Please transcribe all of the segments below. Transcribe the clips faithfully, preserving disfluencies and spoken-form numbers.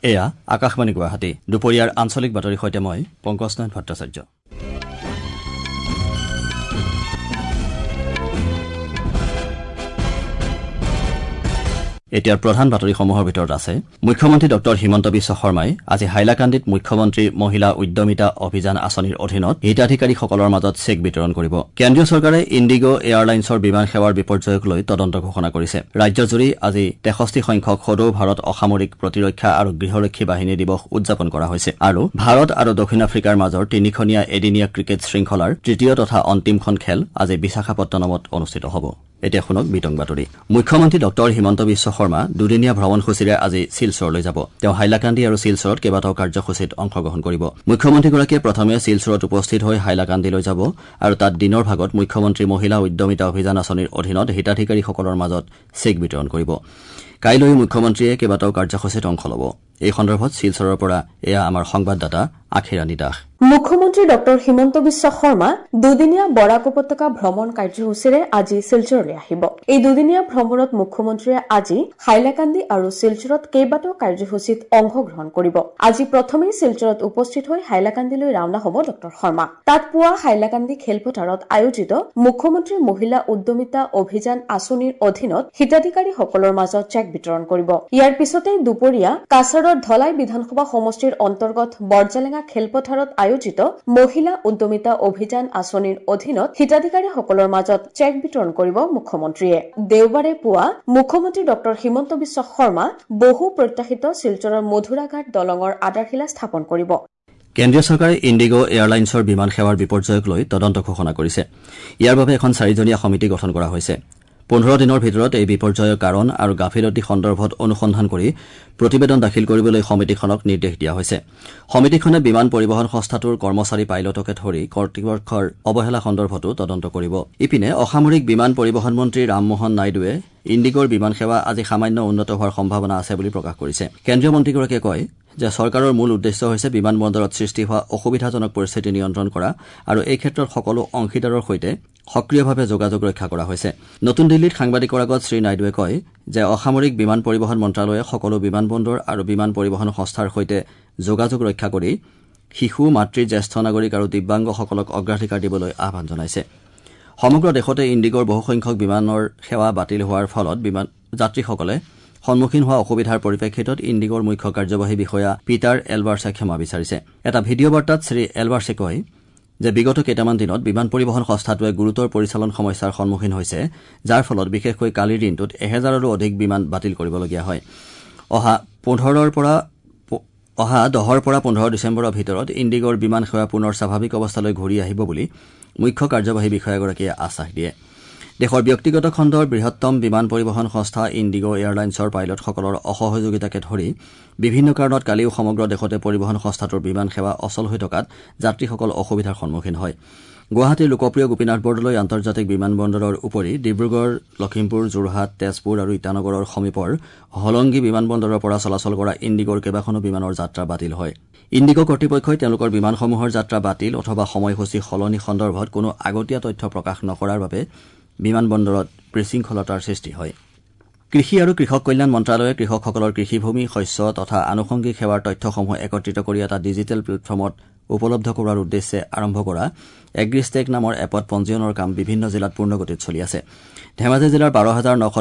এয়া আকাশবাণী গুৱাহাটী। দুপৰীয়াৰ আঞ্চলিক বাতৰিৰ সৈতে মই পংকজ নাথ ভট্টাচাৰ্য। এতিয়াৰ প্ৰধান বাতৰিসমূহৰ ভিতৰত আছে মুখ্যমন্ত্ৰী ডঃ হিমন্ত বিশ্ব শৰ্মাই আজি হাইলাকান্দিত মুখ্যমন্ত্ৰী মহিলা উদ্যমিতা অভিযান আঁচনিৰ অধীনত হিতাধিকাৰীসকলৰ মাজত চেক বিতৰণ কৰিব। কেন্দ্ৰীয় চৰকাৰে ইণ্ডিগ' এয়াৰলাইন্সৰ বিমান সেৱাৰ বিপৰ্যয়ক লৈ তদন্ত ঘোষণা কৰিছে। ৰাজ্যজুৰি আজি তেষষ্ঠি সংখ্যক সদৌ ভাৰত অসামৰিক প্ৰতিৰক্ষা আৰু গৃহৰক্ষী বাহিনী দিৱস উদযাপন কৰা হৈছে। আৰু ভাৰত আৰু দক্ষিণ আফ্ৰিকাৰ মাজৰ তিনিখনীয়া এদিনীয়া ক্ৰিকেট শৃংখলাৰ তৃতীয় তথা অন্তিমখন খেল আজি বিশাখাপট্টনমত অনুষ্ঠিত হ'ব। এতিয়া শুনক বিতং বাতৰি। মুখ্যমন্ত্ৰী ডঃ হিমন্ত বিশ্ব শৰ্মা দুদিনীয়া ভ্ৰমণসূচীৰে আজি শিলচৰলৈ যাব। তেওঁ হাইলাকান্দি আৰু শিলচৰত কেইবাটাও কাৰ্যসূচীত অংশগ্ৰহণ কৰিব। মুখ্যমন্ত্ৰীগৰাকীয়ে প্ৰথমে শিলচৰত উপস্থিত হৈ হাইলাকান্দিলৈ যাব আৰু তাত দিনৰ ভাগত মুখ্যমন্ত্ৰী মহিলা উদ্যমিতা অভিযান আঁচনিৰ অধীনত হিতাধিকাৰীসকলৰ মাজত চেক বিতৰণ কৰিব। কাইলৈ মুখ্যমন্ত্ৰীয়ে কেইবাটাও কাৰ্যসূচীত অংশ ল'ব। এই সন্দৰ্ভত শিলচৰৰ পৰা এয়া আমাৰ সংবাদদাতা আখিৰাণী দাস। মুখ্যমন্ত্ৰী ডঃ হিমন্ত বিশ্ব শৰ্মা দুদিনীয়া বৰাক উপত্যকা ভ্ৰমণ কাৰ্যসূচীৰে আজি শিলচৰলৈ আহিব। এই দুদিনীয়া ভ্ৰমণত মুখ্যমন্ত্ৰীয়ে আজি হাইলাকান্দি আৰু শিলচৰত কেইবাটাও কাৰ্যসূচীত অংশগ্ৰহণ কৰিব। আজি প্ৰথমেই শিলচৰত উপস্থিত হৈ হাইলাকান্দিলৈ ৰাওনা হ'ব ডঃ শৰ্মা। তাত পুৱা হাইলাকান্দি খেলপথাৰত আয়োজিত মুখ্যমন্ত্ৰী মহিলা উদ্যমিতা অভিযান আঁচনিৰ অধীনত হিতাধিকাৰীসকলৰ মাজত চেক বিতৰণ কৰিব। ইয়াৰ পিছতেই দুপৰীয়া কাছাৰৰ ধলাই বিধানসভা সমষ্টিৰ অন্তৰ্গত বৰজালেঙা খেলপথাৰত আয়োজিত মহিলা উদ্যমিতা অভিযান আঁচনিৰ অধীনত হিতাধিকাৰীসকলৰ মাজত চেক বিতৰণ কৰিব মুখ্যমন্ত্ৰীয়ে। দেওবাৰে পুৱা মুখ্যমন্ত্ৰী ডঃ হিমন্ত বিশ্ব শৰ্মা বহু প্ৰত্যাশিত শিলচৰৰ মধুৰাঘাট দলঙৰ আধাৰশিলা স্থাপন কৰিব। কেন্দ্ৰীয় চৰকাৰে ইণ্ডিগ' এয়াৰলাইন্সৰ বিমান সেৱাৰ বিপৰ্যয়ক লৈ তদন্ত ঘোষণা কৰিছে। ইয়াৰ বাবে এখন চাৰিজনীয়া সমিতি গঠন কৰা হৈছে। পোন্ধৰ দিনৰ ভিতৰত এই বিপৰ্যয়ৰ কাৰণ আৰু গাফিলতি সন্দৰ্ভত অনুসন্ধান কৰি প্ৰতিবেদন দাখিল কৰিবলৈ সমিতিখনক নিৰ্দেশ দিয়া হৈছে। সমিতিখনে বিমান পৰিবহণ সংস্থাটোৰ কৰ্মচাৰী পাইলটকে ধৰি কৰ্তৃপক্ষৰ অৱহেলা সন্দৰ্ভতো তদন্ত কৰিব। ইপিনে অসামৰিক বিমান পৰিবহণ মন্ত্ৰী ৰামমোহন নাইডুৱে ইণ্ডিগ'ৰ বিমান সেৱা আজি সামান্য উন্নত হোৱাৰ সম্ভাৱনা আছে বুলি প্ৰকাশ কৰিছে। কেন্দ্ৰীয় মন্ত্ৰীগৰাকীয়ে কয় যে চৰকাৰৰ মূল উদ্দেশ্য হৈছে বিমান বন্দৰত সৃষ্টি হোৱা অসুবিধাজনক পৰিস্থিতি নিয়ন্ত্ৰণ কৰা আৰু এই ক্ষেত্ৰত সকলো অংশীদাৰৰ সৈতে সক্ৰিয়ভাৱে যোগাযোগ ৰক্ষা কৰা হৈছে। নতুন দিল্লীত সাংবাদিকৰ আগত শ্ৰীনাইডুৱে কয় যে অসামৰিক বিমান পৰিবহণ মন্ত্ৰালয়ে সকলো বিমান বন্দৰ আৰু বিমান পৰিবহণ সংস্থাৰ সৈতে যোগাযোগ ৰক্ষা কৰি শিশু, মাতৃ, জ্যেষ্ঠ নাগৰিক আৰু দিব্যাংগসকলক অগ্ৰাধিকাৰ দিবলৈ আহ্বান জনাইছে। সমগ্ৰ দেশতে ইণ্ডিগ'ৰ বহুসংখ্যক বিমানৰ সেৱা বাতিল হোৱাৰ ফলত বিমান যাত্ৰীসকলে সন্মুখীন হোৱা অসুবিধাৰ পৰিপ্ৰেক্ষিতত ইণ্ডিগ'ৰ মুখ্য কাৰ্যবাহী বিষয়া পিটাৰ এলবাৰ্ছে ক্ষমা বিচাৰিছে। এটা ভিডিঅ' বাৰ্তাত শ্ৰী এলবাৰ্ছে কয় যে বিগত কেইটামান দিনত বিমান পৰিবহণ সংস্থাটোৱে গুৰুতৰ পৰিচালন সমস্যাৰ সন্মুখীন হৈছে, যাৰ ফলত বিশেষকৈ কালিৰ দিনটোত এহেজাৰৰো অধিক বিমান বাতিল কৰিবলগীয়া হয়। অহা পোন্ধৰৰ পৰা অহা দহৰ পৰা পোন্ধৰ ডিচেম্বৰৰ ভিতৰত ইণ্ডিগ'ৰ বিমান সেৱা পুনৰ স্বাভাৱিক অৱস্থালৈ ঘূৰি আহিব বুলি মুখ্য কাৰ্যবাহী বিষয়াগৰাকীয়ে আশ্বাস দিয়ে। দেশৰ ব্যক্তিগত খণ্ডৰ বৃহত্তম বিমান পৰিবহণ সংস্থা ইণ্ডিগ' এয়াৰলাইন্সৰ পাইলটসকলৰ অসহযোগিতাকে ধৰি বিভিন্ন কাৰণত কালিও সমগ্ৰ দেশতে পৰিবহণ সংস্থাটোৰ বিমান সেৱা অচল হৈ থকাত যাত্ৰীসকল অসুবিধাৰ সন্মুখীন হয়। গুৱাহাটীৰ লোকপ্ৰিয় গোপীনাথ বৰদলৈ আন্তৰ্জাতিক বিমান বন্দৰৰ উপৰি ডিব্ৰুগড়, লখিমপুৰ, যোৰহাট, তেজপুৰ আৰু ইটানগৰৰ সমীপৰ হলংগী বিমান বন্দৰৰ পৰা চলাচল কৰা ইণ্ডিগ'ৰ কেইবাখনো বিমানৰ যাত্ৰা বাতিল হয়। ইণ্ডিগ' কৰ্তৃপক্ষই তেওঁলোকৰ বিমানসমূহৰ যাত্ৰা বাতিল অথবা সময়সূচী সলনি সন্দৰ্ভত কোনো আগতীয়া তথ্য প্ৰকাশ নকৰাৰ বাবে বিমান বন্দৰত বিশৃংখলতাৰ সৃষ্টি হয়। কৃষি আৰু কৃষক কল্যাণ মন্ত্ৰালয়ে কৃষকসকলৰ কৃষিভূমি, শস্য তথা আনুষংগিক সেৱাৰ তথ্যসমূহ একত্ৰিত কৰি এটা ডিজিটেল প্লেটফৰ্মত উপলব্ধ কৰোৱাৰ উদ্দেশ্যে আৰম্ভ কৰা এগ্ৰিষ্টেক নামৰ এপত পঞ্জীয়নৰ কাম বিভিন্ন জিলাত পূৰ্ণগতিত চলি আছে। ধেমাজি জিলাৰ বাৰ হাজাৰ নশ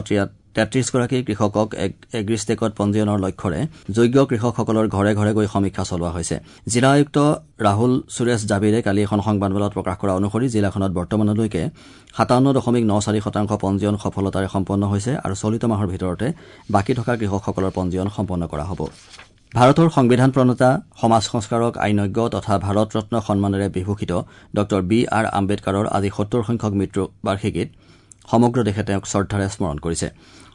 তেত্ৰিশগৰাকী কৃষকক এগ্ৰিষ্টেকত পঞ্জীয়নৰ লক্ষ্যৰে যোগ্য কৃষকসকলৰ ঘৰে ঘৰে গৈ সমীক্ষা চলোৱা হৈছে। জিলা আয়ুক্ত ৰাহুল সুৰেশ জাবিৰে কালি এখন সংবাদমেলত প্ৰকাশ কৰা অনুসৰি জিলাখনত বৰ্তমানলৈকে সাতাৱন্ন দশমিক ন চাৰি শতাংশ পঞ্জীয়ন সফলতাৰে সম্পন্ন হৈছে আৰু চলিত মাহৰ ভিতৰতে বাকী থকা কৃষকসকলৰ পঞ্জীয়ন সম্পন্ন কৰা হ'ব। ভাৰতৰ সংবিধান প্ৰণেতা, সমাজ সংস্কাৰক, আইনজ্ঞ তথা ভাৰত ৰত্ন সন্মানেৰে বিভূষিত ডঃ বি আৰ আম্বেদকাৰৰ আজি সত্তৰ সংখ্যক মৃত্যু বাৰ্ষিকীত সমগ্ৰ দেশে তেওঁক শ্ৰদ্ধাৰে স্মৰণ কৰিছে।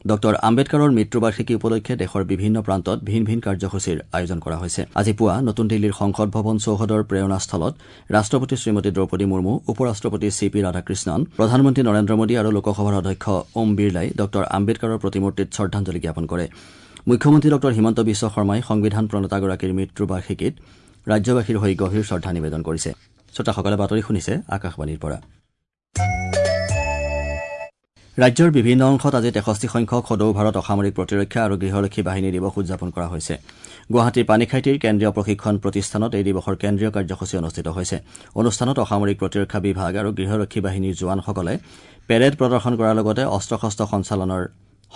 ডঃ আম্বেদকাৰৰ মৃত্যুবাৰ্ষিকী উপলক্ষে দেশৰ বিভিন্ন প্ৰান্তত ভিন ভিন কাৰ্যসূচীৰ আয়োজন কৰা হৈছে। আজি পুৱা নতুন দিল্লীৰ সংসদ ভৱন চৌহদৰ প্ৰেৰণাস্থলত ৰাষ্ট্ৰপতি শ্ৰীমতী দ্ৰৌপদী মুৰ্মু, উপ ৰাষ্ট্ৰপতি চি পি ৰাধাকৃষ্ণন, প্ৰধানমন্ত্ৰী নৰেন্দ্ৰ মোদী আৰু লোকসভাৰ অধ্যক্ষ ওম বিৰলাই ডঃ আম্বেদকাৰৰ প্ৰতিমূৰ্তিত শ্ৰদ্ধাঞ্জলি জ্ঞাপন কৰে। মুখ্যমন্ত্ৰী ডঃ হিমন্ত বিশ্ব শৰ্মাই সংবিধান প্ৰণেতাগৰাকীৰ মৃত্যুবাৰ্ষিকীত ৰাজ্যবাসীৰ হৈ গভীৰ শ্ৰদ্ধা নিবেদন কৰিছে। শ্ৰোতাসকলে বাতৰি শুনিছে আকাশবাণীৰ পৰা। ৰাজ্যৰ বিভিন্ন অংশত আজি তেষষ্ঠি সংখ্যক সদৌ ভাৰত অসামৰিক প্ৰতিৰক্ষা আৰু গৃহৰক্ষী বাহিনী দিৱস উদযাপন কৰা হৈছে। গুৱাহাটীৰ পানীখাইটিৰ কেন্দ্ৰীয় প্ৰশিক্ষণ প্ৰতিষ্ঠানত এই দিৱসৰ কেন্দ্ৰীয় কাৰ্যসূচী অনুষ্ঠিত হৈছে। অনুষ্ঠানত অসামৰিক প্ৰতিৰক্ষা বিভাগ আৰু গৃহৰক্ষী বাহিনীৰ জোৱানসকলে পেৰেড প্ৰদৰ্শন কৰাৰ লগতে অস্ত্ৰ শস্ত্ৰ সঞ্চালনৰ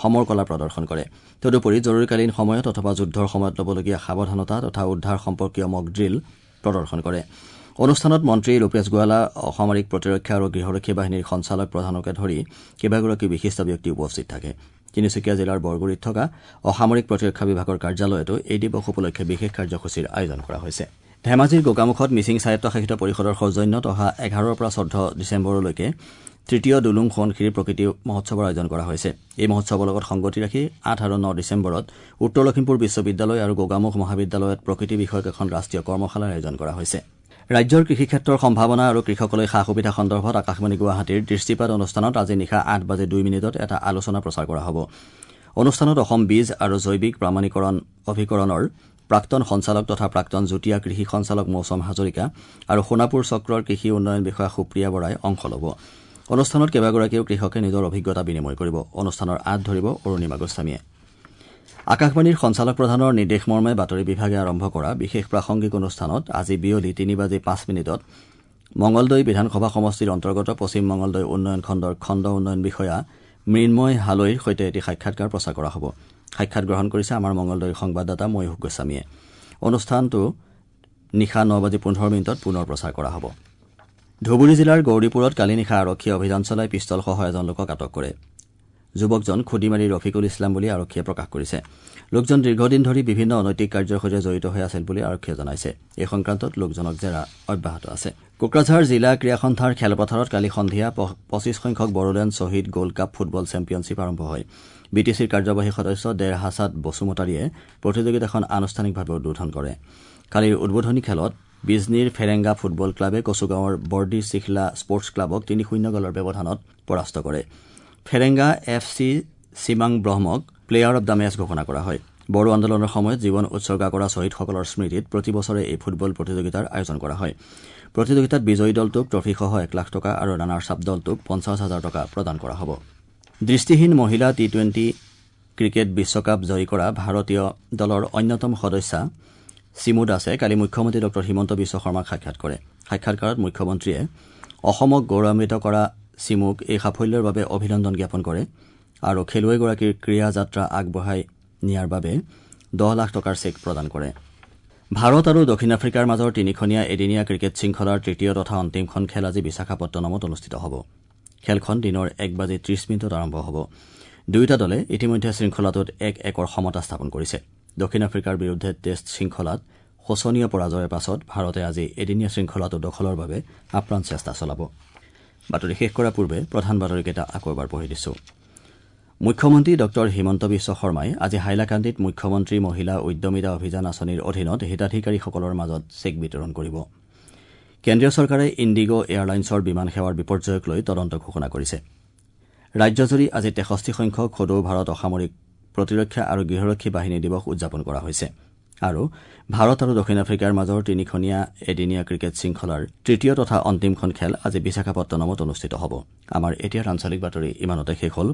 সমৰকলা প্ৰদৰ্শন কৰে। তদুপৰি জৰুৰীকালীন সময়ত অথবা যুদ্ধৰ সময়ত ল'বলগীয়া সাৱধানতা তথা উদ্ধাৰ সম্পৰ্কীয় মক ড্ৰিল প্ৰদৰ্শন কৰে। অনুষ্ঠানত মন্ত্ৰী ৰূপেশ গোৱালা, অসামৰিক প্ৰতিৰক্ষা আৰু গৃহৰক্ষী বাহিনীৰ সঞ্চালক প্ৰধানকে ধৰি কেইবাগৰাকী বিশিষ্ট ব্যক্তি উপস্থিত থাকে। তিনিচুকীয়া জিলাৰ বৰগুৰিত থকা অসামৰিক প্ৰতিৰক্ষা বিভাগৰ কাৰ্যালয়তো এই দিৱস উপলক্ষে বিশেষ কাৰ্যসূচীৰ আয়োজন কৰা হৈছে। ধেমাজিৰ গোগামুখত মিচিং স্বায়ত্তশাসিত পৰিষদৰ সৌজন্যত অহা এঘাৰৰ পৰা চৈধ্য ডিচেম্বৰলৈকে তৃতীয় দুলুং সোৱণশিৰি প্ৰকৃতি মহোৎসৱৰ আয়োজন কৰা হৈছে। এই মহোৎসৱৰ লগত সংগতি ৰাখি আঠ আৰু ন ডিচেম্বৰত উত্তৰ লখিমপুৰ বিশ্ববিদ্যালয় আৰু গোগামুখ মহাবিদ্যালয়ত প্ৰকৃতি বিষয়ক এখন ৰাষ্ট্ৰীয় কৰ্মশালাৰ আয়োজন কৰা হৈছে। ৰাজ্যৰ কৃষিক্ষেত্ৰৰ সম্ভাৱনা আৰু কৃষকলৈ সা সুবিধা সন্দৰ্ভত আকাশবাণী গুৱাহাটীৰ দৃষ্টিপাত অনুষ্ঠানত আজি নিশা আঠ বাজি দুই মিনিটত এটা আলোচনা প্ৰচাৰ কৰা হ'ব। অনুষ্ঠানত অসম বীজ আৰু জৈৱিক প্ৰামাণিকৰণ অভিকৰণৰ প্ৰাক্তন সঞ্চালক তথা প্ৰাক্তন যুটীয়া কৃষি সঞ্চালক মৌচম হাজৰিকা আৰু সোণাপুৰ চক্ৰৰ কৃষি উন্নয়ন বিষয়া সুপ্ৰিয়া বৰাই অংশ ল'ব। অনুষ্ঠানত কেইবাগৰাকীও কৃষকে নিজৰ অভিজ্ঞতা বিনিময় কৰিব। অনুষ্ঠানৰ আঁত ধৰিব অৰুণিমা গোস্বামীয়ে। আকাশবাণীৰ সঞ্চালক প্ৰধানৰ নিৰ্দেশমৰ্মে বাতৰি বিভাগে আৰম্ভ কৰা বিশেষ প্ৰাসংগিক অনুষ্ঠানত আজি বিয়লি তিনি বাজি পাঁচ মিনিটত মঙলদৈ বিধানসভা সমষ্টিৰ অন্তৰ্গত পশ্চিম মঙলদৈ উন্নয়ন খণ্ডৰ খণ্ড উন্নয়ন বিষয়া মৃন্ময় হালৈৰ সৈতে এটি সাক্ষাৎকাৰ প্ৰচাৰ কৰা হ'ব। সাক্ষাৎ গ্ৰহণ কৰিছে আমাৰ মঙলদৈৰ সংবাদদাতা ময়ূখ গোস্বামীয়ে। অনুষ্ঠানটো নিশা ন বাজি পোন্ধৰ মিনিটত পুনৰ প্ৰচাৰ কৰা হ'ব। ধুবুৰী জিলাৰ গৌৰীপুৰত কালি নিশা আৰক্ষীয়ে অভিযান চলাই পিষ্টলসহ এজন লোকক আটক কৰে। যুৱকজন খুদিমাৰী ৰফিকুল ইছলাম বুলি আৰক্ষীয়ে প্ৰকাশ কৰিছে। লোকজন দীৰ্ঘদিন ধৰি বিভিন্ন অনৈতিক কাৰ্যৰ সৈতে জড়িত হৈ আছিল বুলি আৰক্ষীয়ে জনাইছে। এই সংক্ৰান্তত লোকজনক জেৰা অব্যাহত আছে। কোকৰাঝাৰ জিলা ক্ৰীড়া সন্থাৰ খেলপথাৰত কালি সন্ধিয়া পঁচিছ সংখ্যক বড়োলেণ্ড শ্বহীদ গোল্ড কাপ ফুটবল চেম্পিয়নশ্বিপ আৰম্ভ হয়। বি টি চিৰ কাৰ্যবাহী সদস্য দেৰ হাছাদ বসুমতাৰীয়ে প্ৰতিযোগিতাখন আনুষ্ঠানিকভাৱে উদ্বোধন কৰে। কালিৰ উদ্বোধনী খেলত বিজনীৰ ফেৰেংগা ফুটবল ক্লাবে কচুগাঁৱৰ বৰ্ডি চিখলা স্পৰ্টছ ক্লাবক তিনি শূন্য গ'লৰ ব্যৱধানত পৰাস্ত কৰে। ফেৰেংগা এফ চি চিমাং ব্ৰহ্মক প্লেয়াৰ অব the match ঘোষণা কৰা হয়। বড়ো আন্দোলনৰ সময়ত জীৱন উৎসৰ্গা কৰা শ্বহীদসকলৰ স্মৃতিত প্ৰতি বছৰে এই ফুটবল প্ৰতিযোগিতাৰ আয়োজন কৰা হয়। প্ৰতিযোগিতাত বিজয়ী দলটোক ট্ৰফীসহ এক লাখ টকা আৰু ৰানাৰ্ছ আপ দলটোক পঞ্চাছ হাজাৰ টকা প্ৰদান কৰা হ'ব। দৃষ্টিহীন মহিলা টি টুৱেণ্টি ক্ৰিকেট বিশ্বকাপ জয়ী কৰা ভাৰতীয় দলৰ অন্যতম সদস্যা চিমু দাসে কালি মুখ্যমন্ত্ৰী ডঃ হিমন্ত বিশ্ব শৰ্মাক সাক্ষাৎ কৰে। সাক্ষাৎকাৰত মুখ্যমন্ত্ৰীয়ে অসমক গৌৰৱান্বিত কৰা চিমুক এই সাফল্যৰ বাবে অভিনন্দন জ্ঞাপন কৰে আৰু খেলুৱৈগৰাকীৰ ক্ৰীড়া যাত্ৰা আগবঢ়াই নিয়াৰ বাবে দহ লাখ টকাৰ চেক প্ৰদান কৰে। ভাৰত আৰু দক্ষিণ আফ্ৰিকাৰ মাজৰ তিনিখনীয়া এদিনীয়া ক্ৰিকেট শৃংখলাৰ তৃতীয় তথা অন্তিমখন খেল আজি বিশাখাপট্টনমত অনুষ্ঠিত হ'ব। খেলখন দিনৰ এক বাজি ত্ৰিশ মিনিটত আৰম্ভ হ'ব। দুয়োটা দলে ইতিমধ্যে শৃংখলাটোত এক একৰ সমতা স্থাপন কৰিছে। দক্ষিণ আফ্ৰিকাৰ বিৰুদ্ধে টেষ্ট শৃংখলাত শোচনীয় পৰাজয়ৰ পাছত ভাৰতে আজি এদিনীয়া শৃংখলাটো দখলৰ বাবে আপ্ৰাণ চেষ্টা চলাব। বাতৰি শেষ কৰাৰ পূৰ্বে প্ৰধান বাতৰিকেইটা আকৌ এবাৰ পঢ়ি দিছো। মুখ্যমন্ত্ৰী ডঃ হিমন্ত বিশ্ব শৰ্মাই আজি হাইলাকান্দিত মুখ্যমন্ত্ৰী মহিলা উদ্যমিতা অভিযান আঁচনিৰ অধীনত হিতাধিকাৰীসকলৰ মাজত চেক বিতৰণ কৰিব। কেন্দ্ৰীয় চৰকাৰে ইণ্ডিগ' এয়াৰলাইন্সৰ বিমান সেৱাৰ বিপৰ্যয়ক লৈ তদন্ত ঘোষণা কৰিছে। ৰাজ্যজুৰি আজি তেষষ্ঠি সংখ্যক সদৌ ভাৰত অসামৰিক প্ৰতিৰক্ষা আৰু গৃহৰক্ষী বাহিনী দিৱস উদযাপন কৰা হৈছে। আৰু ভাৰত আৰু দক্ষিণ আফ্ৰিকাৰ মাজৰ তিনিখনীয়া এদিনীয়া ক্ৰিকেট শৃংখলাৰ তৃতীয় তথা অন্তিমখন খেল আজি বিশাখাপট্টনমত অনুষ্ঠিত হ'ব। আমাৰ এতিয়াৰ আঞ্চলিক বাতৰি ইমানতে শেষ হ'ল।